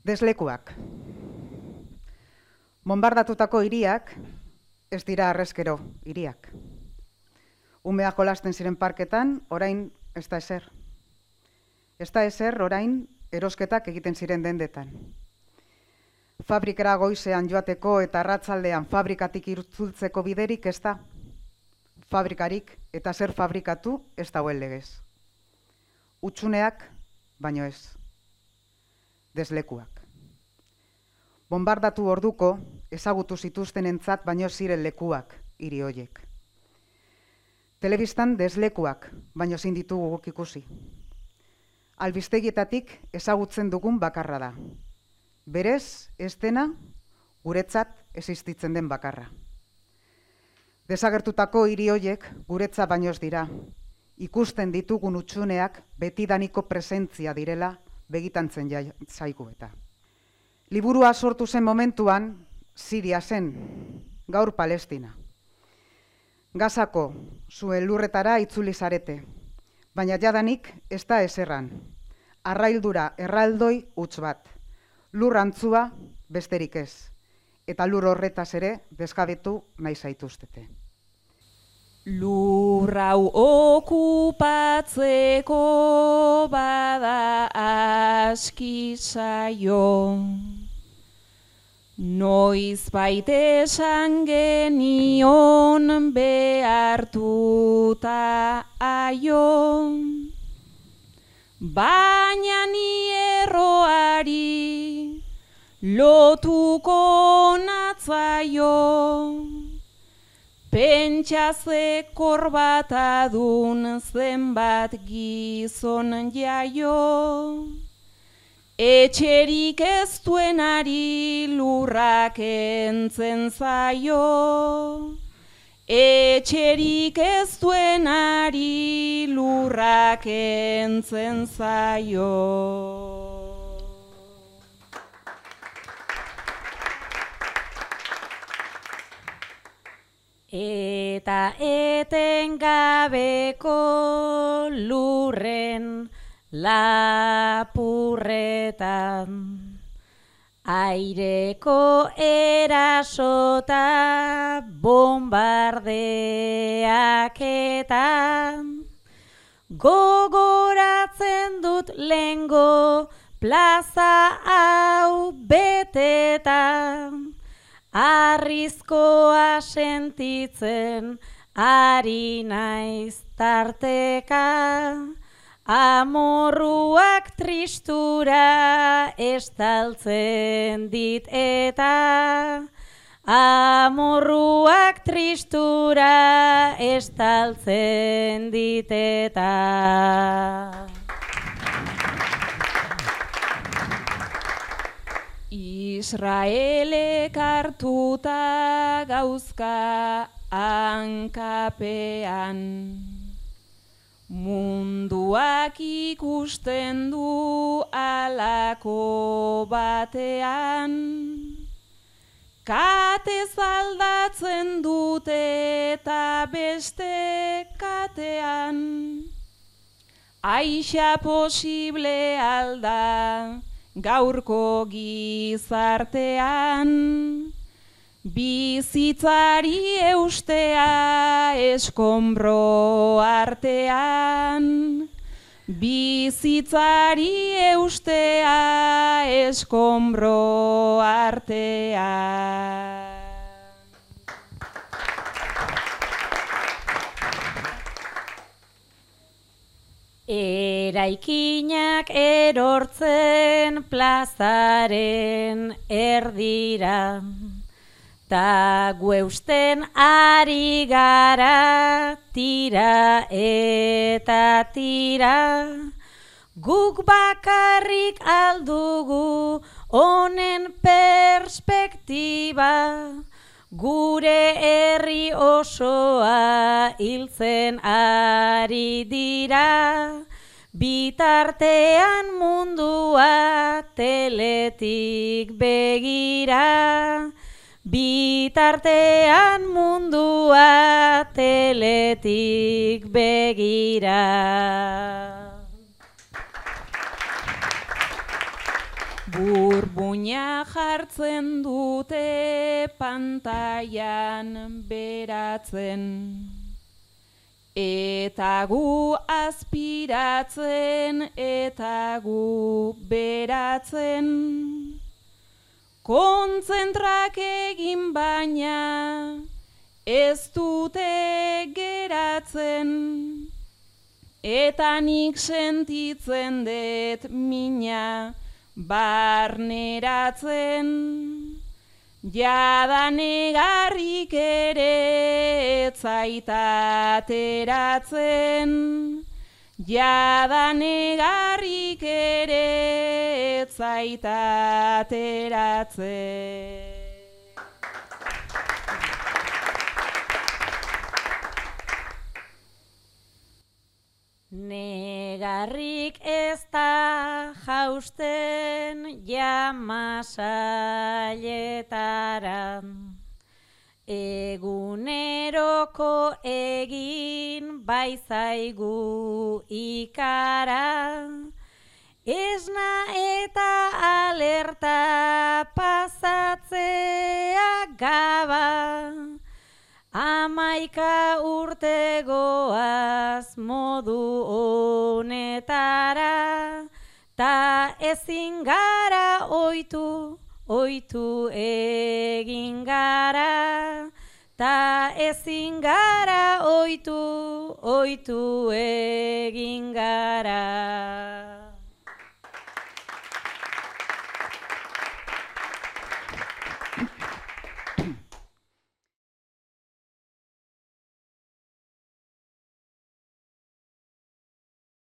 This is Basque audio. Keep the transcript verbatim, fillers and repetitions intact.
Deslekuak. Bonbardatutako hiriak ez dira arrezkero hiriak. Umeak jolasten ziren parketan, orain ez da ezer. Ez da ezer orain erosketak egiten ziren dendetan. Fabrikara goizean joateko eta arratzaldean fabrikatik itzultzeko biderik ez da. Fabrikarik eta zer fabrikatu ez dagoen legez. Hutsuneak, baino ez. Deslekuak. Bonbardatu orduko ezagutu zituztenentzat baino ziren lekuak hiri hoiek. Telebistan deslekuak baino ezin ditugu guk ikusi. Albistegietatik ezagutzen dugun bakarra da. Berez, ez dena, guretzat existitzen den bakarra. Desagertutako hiri hoiek guretzat baino ez dira. Ikusten ditugun hutsuneak betidaniko presentzia direla begitantzen zaigu eta. Liburua sortu zen momentuan, Siria zen, gaur Palestina. Gazako zuen lurretara itzuli zarete, baina jadanik ez da eserran. Arraildura erraldoi huts bat, lur antzua besterik ez, eta lur horretaz ere desgabetu nahi zaituztete. Lur hau okupatzeko bada aski zaio, noizbait esan genion behartuta aio, baina ni erroari lotuko natzaio. Pentsa korbatadun zenbat gizon jaio, etxerik ez duenari lurrak entzen zaio, etxerik ez duenari lurrak entzen zaio. Eta etengabeko lurren lapurretan, aireko erasota bombardeaketan, gogoratzen dut lengo plaza hau betetan, arrizkoa sentitzen ari naiz tarteka, amorruak tristura estaltzen dit eta, amorruak tristura estaltzen dit eta. Israelek hartuta gauzka hankapean, munduak ikusten du alako batean, kate zaldatzen dute eta beste katean, aixa posible alda gaurko gizartean, bizitzari eustea eskombro artean, bizitzari eustea eskombro artean. Eraikinak erortzen plazaren erdira, ta gueusten ari gara tira eta tira, guk bakarrik aldugu honen perspektiba, gure herri osoa hiltzen ari dira, bitartean mundua teletik begira, bitartean mundua teletik begira. Burbuina jartzen dute pantailan beratzen, eta gu aspiratzen eta gu beratzen. Kontzentrak egin baina ez dute geratzen, eta nik sentitzen dut mina barneratzen. Jada negarrik ere ez zait ateratzen, jada negarrik ere ez zait ateratzen. Negarrik ez da jausten jamasailetara, eguneroko egin baizaigu ikara, esna eta alerta pasatzea gaba, amaika urte goaz modu honetara, ta ezin gara oitu, oitu egin gara, ta ezin gara oitu, oitu egin gara.